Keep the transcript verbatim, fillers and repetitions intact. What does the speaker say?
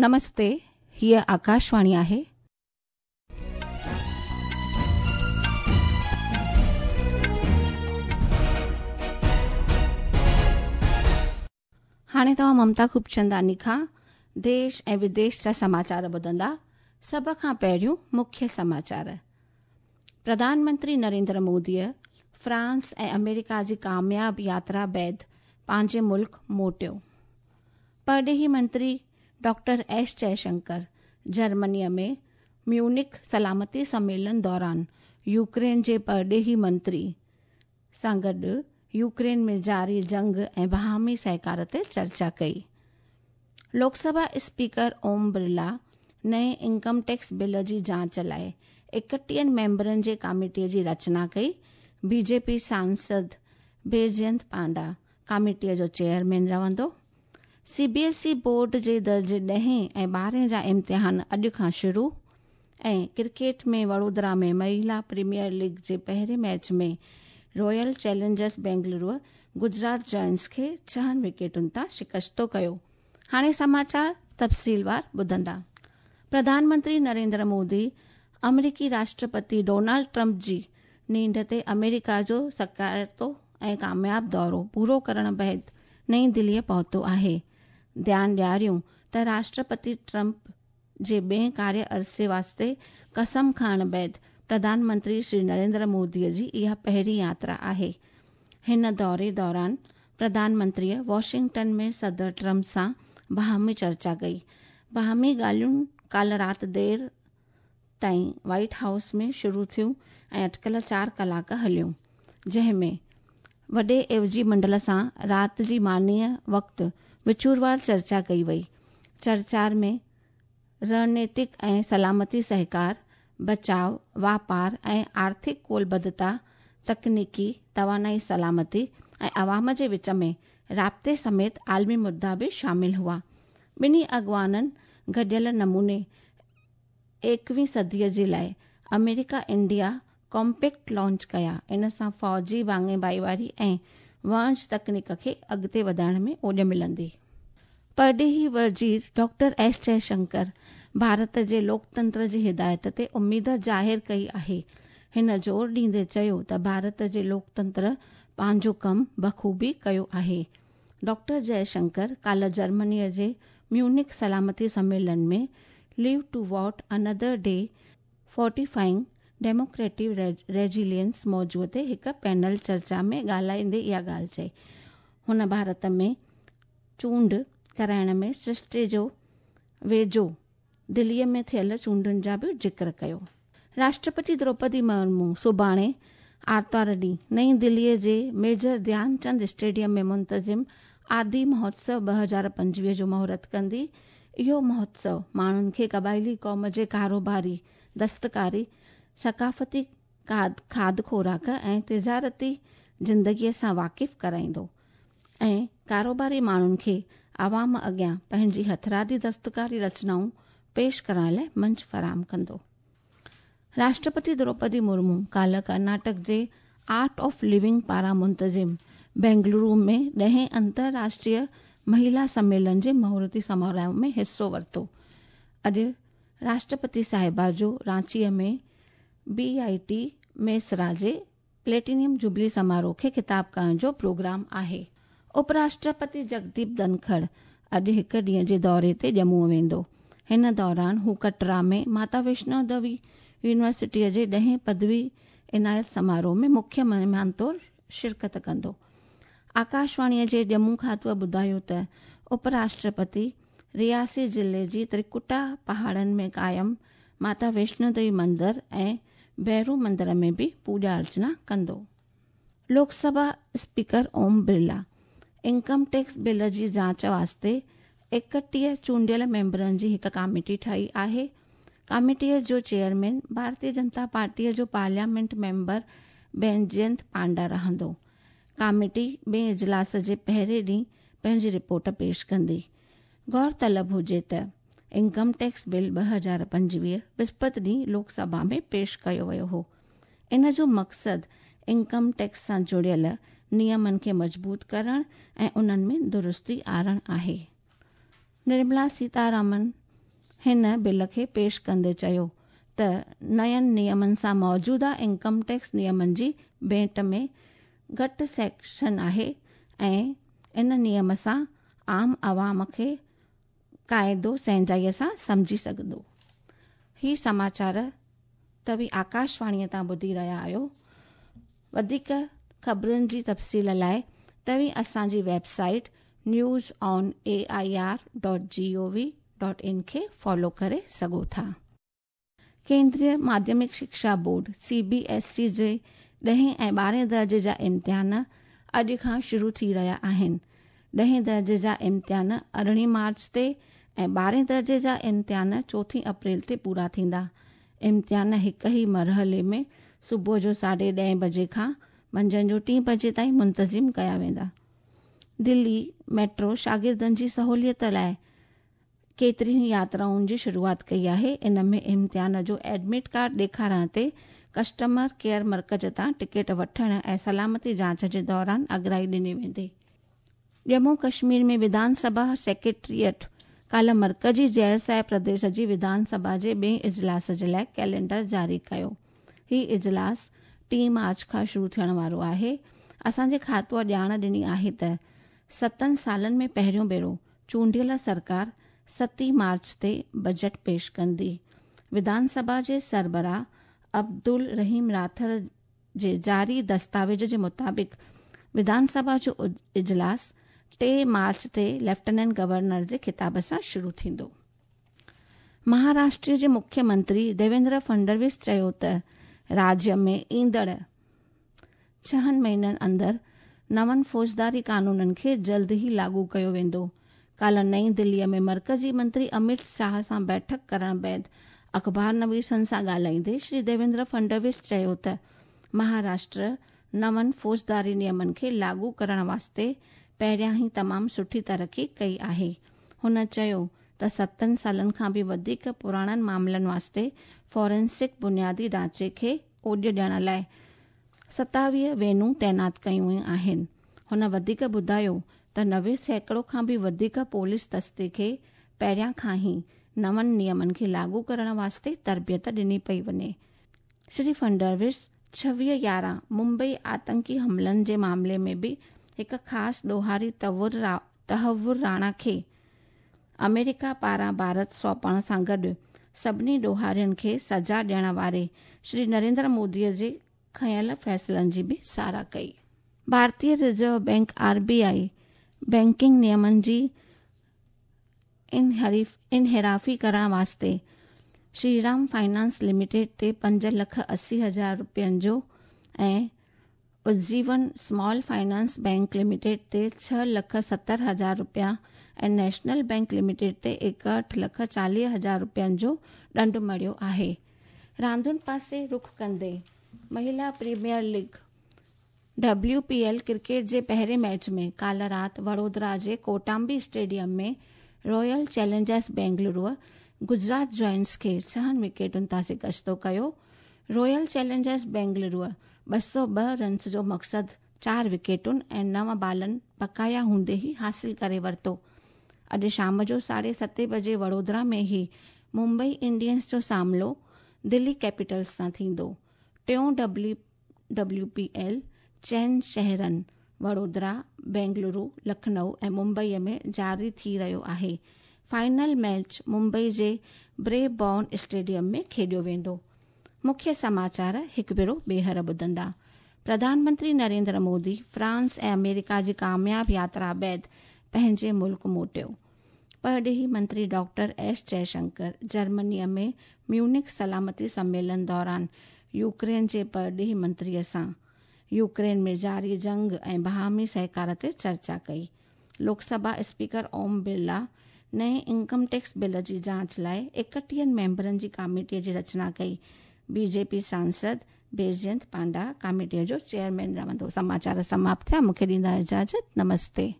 नमस्ते, हीअ आकाशवाणी आहे. हाणे तव्हां ममता खूबचंदानी खां देश ऐं विदेश जा समाचार ॿुधंदा. सभ खां पहिरियों मुख्य समाचार. प्रधानमंत्री नरेंद्र मोदीअ फ्रांस ऐं अमेरिका जी कामयाब यात्रा बाद पंहिंजे मुल्क मोटियो. परॾेही मंत्री डॉक्टर एस जयशंकर जर्मनीअ में म्यूनिख सलामती सम्मेलन दौरान यूक्रेन जे परॾेही मंत्री सां गॾु यूक्रेन में जारी जंग ऐं बाहमी सहकार ते चर्चा कई. लोकसभा स्पीकर ओम बिरला नए इनकम टैक्स बिल जी जांच लाइ एकटीहनि मेंबरनि जे कमेटीअ जी रचना कई. बीजेपी सांसद बैजयंत पांडा कमेटीअ जो चेयरमैन रहंदो. सीबीएसई बोर्ड जे दर्जे ॾहें ऐं ॿारहें जा इम्तिहान अॼु खां शुरू. ऐं क्रिकेट में वडोदरा में महिला प्रीमियर लीग जे पहिरें match में Royal Challengers Bengaluru Gujarat Giants खे छहनि विकेटुनि तां शिकस्तो कयो. हाणे समाचार तफ़सीलवार ॿुधंदा. प्रधानमंत्री नरेंद्र मोदी अमरीकी राष्ट्रपति डोनाल्ड ट्रंप जी नींड ते अमेरिका जो सकारातो ऐं कामयाब दौरो पूरो करण बाद नई दिल्लीअ पहुतो आहे. ध्यानु ॾियारियूं त राष्ट्रपति ट्रंप जे ॿिए कार्य अरसे वास्ते कसम खणण बाद प्रधानमंत्री श्री नरेंद्र मोदीअ जी इहा पहिरीं यात्रा आहे. हिन दौरे दौरान प्रधानमंत्रीअ वॉशिंगटन में सदर ट्रंप सां बाहमी चर्चा कई. बाहमी ॻाल्हियूं काल्ह राति देरि ताईं वाइट हाउस में शुरू थियूं ऐं अटकल चारि कलाक हलियूं, जंहिं में वॾे एवजी मंडल सां राति जी मानीअ वक़्तु विचूरवार चर्चा कई वई. चर्चा में रणनीतिक ऐं सलामती सहकार, बचाव, वापार ऐं आर्थिक कोलबद्धता, तकनीकी, तवानाई सलामती ऐं अवाम जे विच में राब्ते समेत आलमी मुद्दा बि शामिल हुआ. ॿिन्ही अॻवाननि गॾियल नमूने एकवीं सदीअ जे लाइ अमेरिका इंडिया कॉम्पैक्ट लॉन्च कया. इन सां फ़ौजी भाङे भाईवारी ऐं वणज तकनीक खे अॻिते वधाइण में ओॾ मिलंदी. परॾेही वज़ीर डॉक्टर एस जयशंकर भारत जे लोकतंत्र जी हिदायत ते उमेद ज़ाहिर कई आहे. हिन ज़ोर ॾींदे चयो त भारत जे लोकतंत्र पंहिंजो कमु बख़ूबी कयो आहे. डॉक्टर जयशंकर काल्ह जर्मनीअ जे म्यूनिख सलामती सम्मेलन में live to watch another day fortifying democratic resilience मौज़ूअ ते हिकु पैनल चर्चा में ॻाल्हाईंदे इहा ॻाल्हि चई. हुन भारत में चूंड कराइण में सृष्टि जो वेझो दिल्लीअ में थियल चूंडुनि जा बि ज़िक्र कयो. राष्ट्रपति द्रौपदी मुर्मू सुभाणे आरतवार ॾींहुं नई दिल्लीअ जे मेजर ध्यानचंद स्टेडियम में मुंतज़िम आदि महोत्सव ॿ हज़ार पंजवीह जो मुहूर्त कंदी. इहो महोत्सव माण्हुनि खे क़बाइली क़ौम जे कारोबारी, दस्तकारी, सकाफ़ती खाध खुराक ऐं तिजारती ज़िंदगीअ सां वाक़िफ़ कराईंदो ऐं कारोबारी माण्हुनि खे आवाम अॻियां पंहिंजी हथरादी दस्तकारी रचनाऊं पेश करण लाइ मंच फराहम कंदो. राष्ट्रपति द्रौपदी मुर्मू काल्ह कर्नाटक जे आर्ट ऑफ लिविंग पारां मुंतज़िम बेंगलुरु में ॾहें अंतर्राष्ट्रीय महिला सम्मेलन जे मुहूर्ती समारोह में हिसो वरितो. अॼु राष्ट्रपति साहिबा जो रांचीअ में बी I T Mesra जे प्लेटिनियम जुबली समारोह खे ख़िताब करण जो प्रोग्राम आहे. उपराष्ट्रपति जगदीप धनखड़ अॼु हिकु ॾींहं जे दौरे ते ॼम्मूअ वेंदो. हिन दौरान हू कटरा में माता वैष्णो देवी यूनिवर्सिटीअ जे ॾहें पदवी इनायत समारोह में मुख्य महिमान तौरु शिरकत कंदो. आकाशवाणीअ जे ॼम्मू खातूअ ॿुधायो त उपराष्ट्रपति रियासी ज़िले जी त्रिकुटा पहाड़नि में क़ाइमु माता वैष्णो देवी मंदर ऐं भैरू मंदर में बि पूॼा अर्चना कंदो. Lok Sabha speaker Om Birla income tax bill जी जांच वास्ते एकटीह चूंडियल मेंबरनि जी हिकु कमेटी ठाही आहे. कमेटीअ जो चेयरमैन भारतीय जनता पार्टीअ जो पार्लियामेंट मेंबर बैजयंत पांडा रहंदो. कमेटी ॿिए इजलास जे पहिरें ॾींहुं पंहिंजी रिपोर्ट पेश कंदी. गौर तलब हुजे त इनकम टैक्स बिल ॿ हज़ार पंजवीह विस्पति ॾींहुं लोकसभा में पेश कयो वियो हो. इन जो मक़सदु इनकम टैक्स सां जुड़ियल नियमनि खे मज़बूत करण ऐं उन्हनि में दुरुस्ती आणणु आहे. निर्मला सीतारामन हिन बिल खे पेश कंदे चयो त नयनि नियमनि सां मौजूदा इनकम टैक्स नियमनि जी भेंट में घटि सेक्शन आहे ऐं इन नियम सां आम आवाम खे काइदो सहजाईअ सां सम्झी सघंदो। ही समाचार तव्हीं आकाशवाणीअ तां ॿुधी रहिया आहियो। वधीक ख़बरुनि जी तफ़सील लाइ तव्हीं असांजी website news on A I R dot G O V dot in खे फॉलो करे सघो था। केंद्रीय माध्यमिक शिक्षा board C B S E जे ॾहें ऐं ॿारहें दर्जे जा इम्तिहान अॼु खां शुरू थी रहिया आहिनि। ॾहें दर्जे जा इम्तिहान अरिड़हीं मार्च ते ऐं ॿारहें दर्जे जा इम्तिहान चोथीं अप्रैल ते पूरा थींदा। इम्तिहान हिकु ई मरहले में सुबुह जो साढे ॾहें बजे खां मंझंदि जो टीं बजे ताईं मुंतज़िम कया वेंदा। दिल्ली मेट्रो शागिर्दनि जी सहूलियत लाइ केतिरियूं यात्राउनि जी शुरूआत कई आहे। इन में इम्तिहान जो एडमिट कार्ड ॾेखारण ते कस्टमर केयर मर्कज़ तां टिकट वठण ऐं सलामती जांच जे दौरान अगराई ॾिनी वेंदी। जम्मू कश्मीर में विधानसभा सेक्रेटेरिएट काल्ह मर्कज़ी ज़ैर प्रदेश जी विधानसभा जे ॿिए इजलास जे लाइ कैलेंडर जारी कयो। ही इजलास टीं मार्च खां शुरू थियण वारो आहे। असांजे खातूअ ॼाण ॾिनी आहे त सतनि सालनि में पहिरियों भेरो चूंडियल सरकार सतीं मार्च ते बजट पेश कंदी। विधानसभा जे सरबराह अब्दुल रहीम राथर जे जारी दस्तावेज़ जे मुताबिक़ विधानसभा जो इजलास टे मार्च ते लेफ्टिनेंट गवर्नर जे खिताब सां शुरू थींदो। महाराष्ट्र जे मुख्यमंत्री देवेंद्र फडणवीस चयो त राज्य में ईंदड़ छहनि महीननि अंदरि नवनि फौजदारी कानूननि खे जल्द ई लागू कयो वेंदो। काल्ह नई दिल्लीअ में मर्कज़ी मंत्री अमित शाह सां बैठक करण बाद अख़बार नवीसनि सां ॻाल्हाईंदे श्री देवेंद्र फडणवीस चयो त महाराष्ट्र नवनि फौजदारी नियमनि खे लागू करण वास्ते पहिरियां ई तमामु सुठी तरक़ी कई आहे। हुन चयो त सतनि सालनि खां बि वधीक पुराणनि मामलनि वास्ते फॉरेंसिक बुनियादी ढांचे खे ओॾ ॾियण लाइ सतावीह वैनूं तैनात कयूं वयूं आहिनि। हुन वधीक ॿुधायो त नवे सैकड़ो खां बि वधीक पुलिस दस्ते खे पहिरियां खां ई नवनि नियमनि खे लागू करण वास्ते तरबियत ॾिनी पई वञे। श्री फडणवीस छवीह यारहं मुंबई आतंकी हमलनि जे मामले में बि हिकु ख़ासि ॾोहारी तहवुर राणा खे अमेरिका पारां भारत सौंपण सां गॾु सभिनी ॾोहारियुनि खे सज़ा ॾियण वारे श्री नरेंद्र मोदीअ जे खयल फ़ैसिलनि जी बि सराह कई। भारतीय reserve bank R B I banking नियमनि जी इनहिराफ़ी करण वास्ते श्रीराम फाइनांस लिमिटेड ते पंज लख असी हज़ार रुपयनि जो ऐं Ujjivan small finance bank limited ते छह लख सत्तर हज़ार रुपया ऐं नेशनल बैंक लिमिटेड ते एकहठि लख चालीह हज़ार रुपयनि जो ॾंड मढ़ियो आहे। रांदियुनि पासे रुख कंदे महिला premier league W P L cricket जे पहिरें मैच में काल्ह राति वडोदरा जे Kotambi stadium में Royal Challengers Bengaluru Gujarat Giants खे छहनि विकेटुनि तां शिकस्तो कयो। रॉयल चैलेंजर्स बेंगलुरु ॿ सौ ॿ रन्स जो मक़सदु चारि विकेटुनि ऐं नव बालनि बकाया हूंदे ई हासिल करे वरितो। अॼु शाम जो साढे सते बजे वडोदरा में ई मुंबई इंडियंस जो सामनो दिल्ली कैपिटल्स सां थींदो। टियों डब्ल्यू डब्ल्यू पी एल चइनि शहरनि वडोदरा, बेंगलुरु, लखनऊ ऐं मुंबईअ में जारी थी रहियो आहे। फाइनल मैच मुंबई जे ब्रेबॉर्न स्टेडियम में खेॾियो वेंदो। मुख्य समाचार हिकु भेरो ॿीहर ॿुधंदा। प्रधानमंत्री नरेंद्र मोदी फ्रांस ऐं अमेरिका जी कामयाब यात्रा बाद पंहिंजे मुल्क मोटियो। परॾेही मंत्री डॉक्टर एस जयशंकर जर्मनीअ में म्यूनिख सलामती सम्मेलन दौरान यूक्रेन जे परॾेही मंत्रीअ सां यूक्रेन में जारी जंग ऐं बाहमी सहकार ते चर्चा कई। लोकसभा स्पीकर ओम बिरला नए इनकम टैक्स बिल जी जांच लाइ एकटीहनि मेंबरनि जी कमेटीअ जी रचना कई। बीजेपी सांसद बैजयंत पांडा कमेटीअ जो चेयरमैन रहंदो। समाचार समाप्त थिया। मूंखे ॾींदा इजाज़त। नमस्ते।